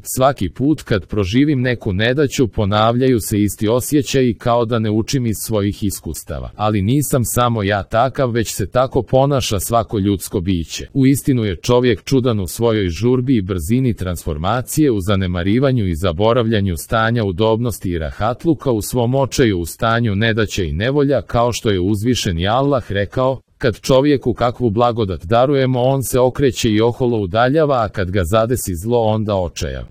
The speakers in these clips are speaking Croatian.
Svaki put kad proživim neku nedaću ponavljaju se isti osjećaji kao da ne učim iz svojih iskustava. Ali nisam samo ja takav, već se tako ponaša svako ljudsko biće. Uistinu je čovjek čudan u svojoj žurbi i brzini transformacije, u zanemarivanju i zaboravljanju stanja udobnosti i rahatluka, u svom očaju u stanju nedaće i nevolja, kao što je uzvišeni Allah rekao: kad čovjeku kakvu blagodat darujemo, on se okreće i oholo udaljava, a kad ga zadesi zlo, onda očaja.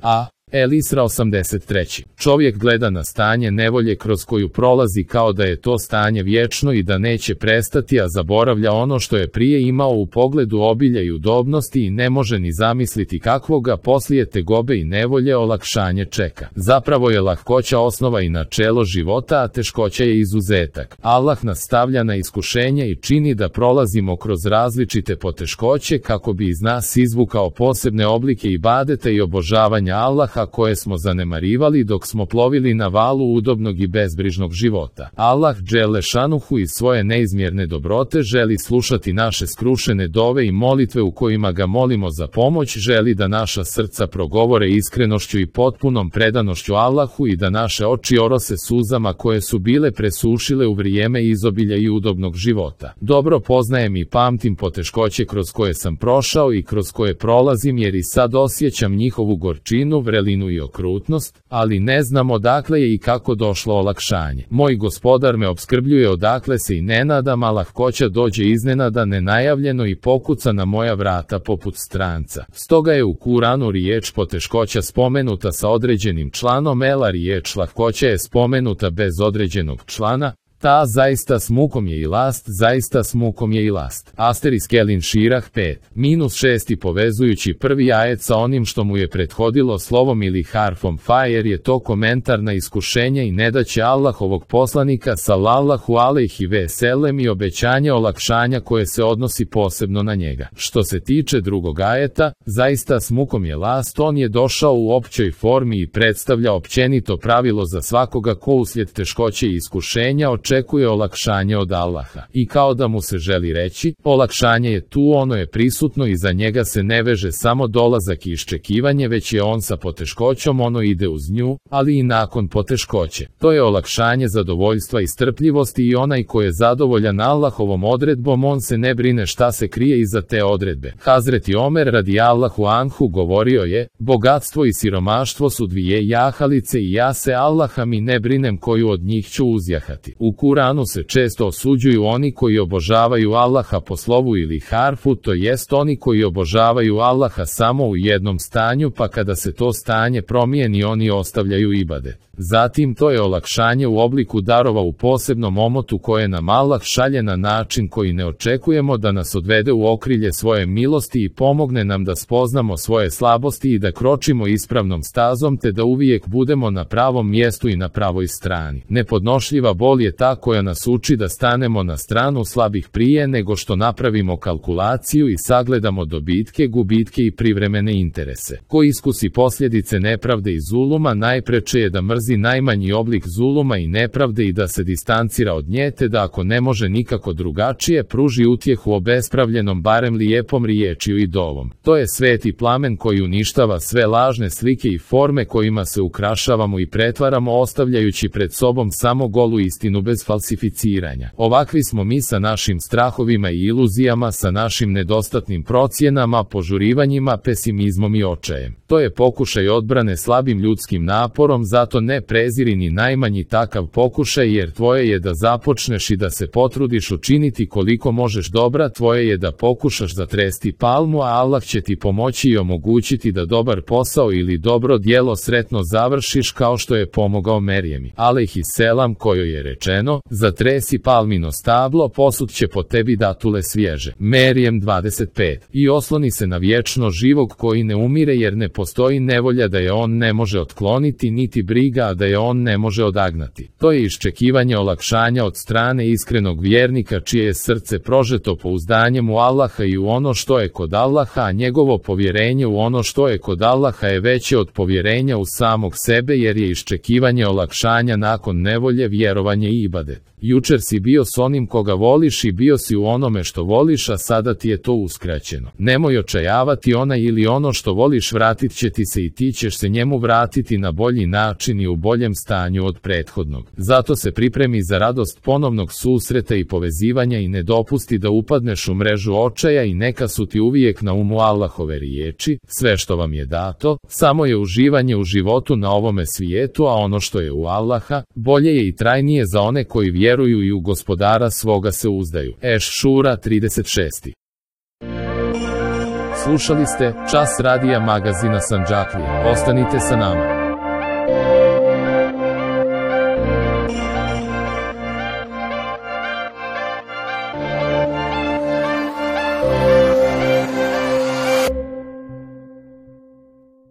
El Isra 83. Čovjek gleda na stanje nevolje kroz koju prolazi kao da je to stanje vječno i da neće prestati, a zaboravlja ono što je prije imao u pogledu obilja i udobnosti i ne može ni zamisliti kakvoga poslije tegobe i nevolje olakšanje čeka. Zapravo je lahkoća osnova i načelo života, a teškoća je izuzetak. Allah nas stavlja na iskušenje i čini da prolazimo kroz različite poteškoće kako bi iz nas izvukao posebne oblike ibadeta i obožavanja Allaha koje smo zanemarivali dok smo plovili na valu udobnog i bezbrižnog života. Allah dželle šanuhu iz svoje neizmjerne dobrote želi slušati naše skrušene dove i molitve u kojima ga molimo za pomoć, želi da naša srca progovore iskrenošću i potpunom predanošću Allahu i da naše oči orose suzama koje su bile presušile u vrijeme izobilja i udobnog života. Dobro poznajem i pamtim poteškoće kroz koje sam prošao i kroz koje prolazim, jer i sad osjećam njihovu gorčinu, vrelinu i okrutnost, ali ne znam odakle je i kako došlo olakšanje. Moj gospodar me opskrbljuje odakle se i ne nadam, a lahkoća dođe iznenada, nenajavljeno i pokuca na moja vrata poput stranca. Stoga je u Kuranu riječ poteškoća spomenuta sa određenim članom, a riječ lahkoća je spomenuta bez određenog člana. Ta zaista s mukom je i last, zaista s mukom je i last. Asterisk Elin Širah 5-6 i povezujući prvi ajet sa onim što mu je prethodilo slovom ili harfom fa, jer je to komentar na iskušenje i nedaće Allahovog poslanika sallallahu alejhi ve sellem i obećanje olakšanja koje se odnosi posebno na njega. Što se tiče drugog ajeta, zaista s mukom je last, on je došao u općoj formi i predstavlja općenito pravilo za svakoga ko uslijed teškoće i iskušenja očekuje olakšanje od Allaha. I kao da mu se želi reći, olakšanje je tu, ono je prisutno i za njega se ne veže samo dolazak i iščekivanje, već je on sa poteškoćom, ono ide uz nju, ali i nakon poteškoće. To je olakšanje zadovoljstva i strpljivosti i onaj ko je zadovoljan Allahovom odredbom, on se ne brine šta se krije iza te odredbe. Hazreti Omer radijallahu anhu govorio je: bogatstvo i siromaštvo su dvije jahalice i ja se Allaha mi ne brinem koju od njih ću uzjahati. U Kuranu se često osuđuju oni koji obožavaju Allaha po slovu ili harfu, to jest oni koji obožavaju Allaha samo u jednom stanju, pa kada se to stanje promijeni oni ostavljaju ibadet. Zatim to je olakšanje u obliku darova u posebnom omotu koje nam Allah šalje na način koji ne očekujemo, da nas odvede u okrilje svoje milosti i pomogne nam da spoznamo svoje slabosti i da kročimo ispravnom stazom, te da uvijek budemo na pravom mjestu i na pravoj strani. Nepodnošljiva bol je ta koja nas uči da stanemo na stranu slabih prije nego što napravimo kalkulaciju i sagledamo dobitke, gubitke i privremene interese. Ko iskusi posljedice nepravde i zuluma, najpreče je da mrzi najmanji oblik zuluma i nepravde i da se distancira od nje, te da ako ne može nikako drugačije, pruži utjehu obespravljenom barem lijepom riječju i dovom. To je sveti plamen koji uništava sve lažne slike i forme kojima se ukrašavamo i pretvaramo, ostavljajući pred sobom samo golu istinu bez falsificiranja. Ovakvi smo mi sa našim strahovima i iluzijama, sa našim nedostatnim procjenama, požurivanjima, pesimizmom i očajem. To je pokušaj odbrane slabim ljudskim naporom, zato ne preziri ni najmanji takav pokušaj, jer tvoje je da započneš i da se potrudiš učiniti koliko možeš dobra, tvoje je da pokušaš zatresti palmu, a Allah će ti pomoći i omogućiti da dobar posao ili dobro djelo sretno završiš, kao što je pomogao Merjemi alejhiselam, kojoj je rečeno: zatresi palmino stablo, posut će po tebi datule svježe. Merjem 25. I osloni se na vječno živog koji ne umire, jer ne postoji nevolja da je on ne može otkloniti, niti briga a da je on ne može odagnati. To je iščekivanje olakšanja od strane iskrenog vjernika čije je srce prožeto pouzdanjem u Allaha i u ono što je kod Allaha, a njegovo povjerenje u ono što je kod Allaha je veće od povjerenja u samog sebe, jer je iščekivanje olakšanja nakon nevolje vjerovanje i ibadet. Jučer si bio s onim koga voliš i bio si u onome što voliš, a sada ti je to uskraćeno. Nemoj očajavati, onaj ili ono što voliš vratit će ti se i ti ćeš se njemu vratiti na bolji način i u boljem stanju od prethodnog. Zato se pripremi za radost ponovnog susreta i povezivanja i ne dopusti da upadneš u mrežu očaja i neka su ti uvijek na umu Allahove riječi: sve što vam je dato, samo je uživanje u životu na ovome svijetu, a ono što je u Allaha, bolje je i trajnije za one koji vjeruju i u Gospodara svoga se uzdaju. Eš-Šura 36. Slušali ste Čas radija magazina Sandžaklija. Ostanite sa nama.